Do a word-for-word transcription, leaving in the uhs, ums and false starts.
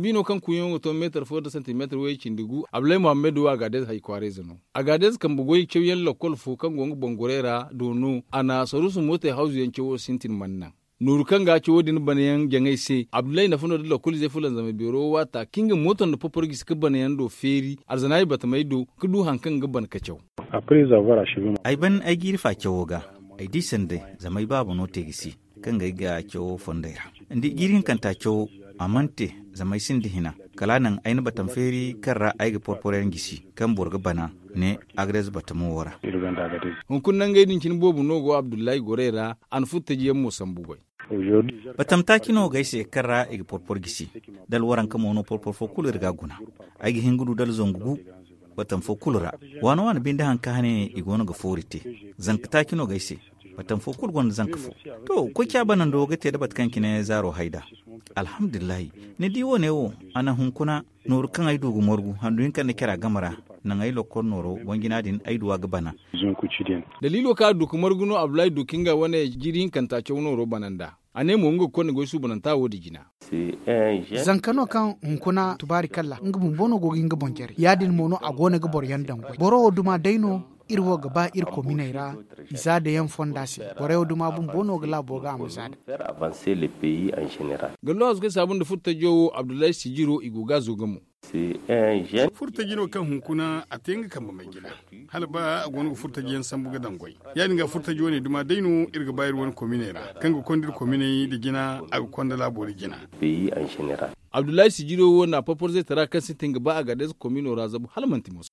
Biino kaŋ kuuyaŋo ga to meetar fo nda santimeetar way cindi gu, abdulay muhammad wo agaadez hay kwaarayze no. Agaadez kambe goy cawyaŋ lakkol fo kaŋ go nga boŋ goray ra do no a na saruusu mootey hawzuyaŋ cawo sintin mana naŋ. Nooru kaŋ ga cawo din banayaŋ jaŋay se, abdulay nafa no da lakkol izey fulanzamay beero wo waata kaŋ nga mooto nda porpor gisi ga banayaŋ do feeri arzanaay batamey do, ga du hari kaŋ ga ban ga caw. Ay ban ay jiiri fa cawo ga, ay di sanda zama ay baaba no te ga si, kaŋ ga ay ga cawo fondey ra. Ni di jiiri hinkanta cawo, a mana te zama ay sinda hina. Kala a naŋ ay na batam feeri kaŋ ra ay ga porpor yaŋ gisi, kaŋ boro ga bana ne, agadez batamo wo ra. Hunkuna nangey din cine boobo no go abdullahi gorey ra. A na furtaji yaŋ mo sambu goy. Batam taaci no ga ay se kaŋ ra i ga porpor gisi. Dala waranka mo no porpor fo kulu iri ga a guna. Ay ga hin ga du dala zangu gu, batam fo kulu ra. Waana waana binde hari kaŋ hane i go no ga foori te. Zanka taaci no ga ay se. Batam fo kulu gonda zanka fo. To, koy ca banando ga te da bata kaŋ cine zaaro hay nd'a. Alhamdulillahi. Ni di wo- ne wo, a naŋ hunkuna, nooru kaŋ ay du ga margu handu hinka nda care a game ra, naŋ ay lokkol nooro, boŋ-jina din ay du a ga bana. Daliilo kaŋ a du ga margu no abdulay du ka nga wane jiiri hinkanta caw nooro bana nd'a. A ne mo nga ga konda goy suubananta wo- din jina. Zanka no kaŋ hunkuna tubaari kalla nga bumbo no go ga hin ga boŋ jare ya- din mo no a go no ga boro yaŋ daŋ goy boro wo duma day no. Iri wo ga ba iri kominey ra, i zaada yaŋ fonda se. Borey wo duma bumbo no ga laabo ga a ma zaada. Gallo hasu kaŋ saabu nda furtajo wo abdullahi sijiro i go ga a zo ga mo. Furtaji no kaŋ hunkuna a te nga kambe may jina. Hala ba a go no ga furtaji yaŋ sambu ga daŋ goy, ya- din ga furtaji wane duma day no iri ga ba iri wane kominey ra, kaŋ ga konda iri kominey nda jina, a ga konda laabo nda jina. Abdullahi sijiro wo na porpor zaytara kaŋ sintin ga ba a ga day za komino ra zabu hala manti moso.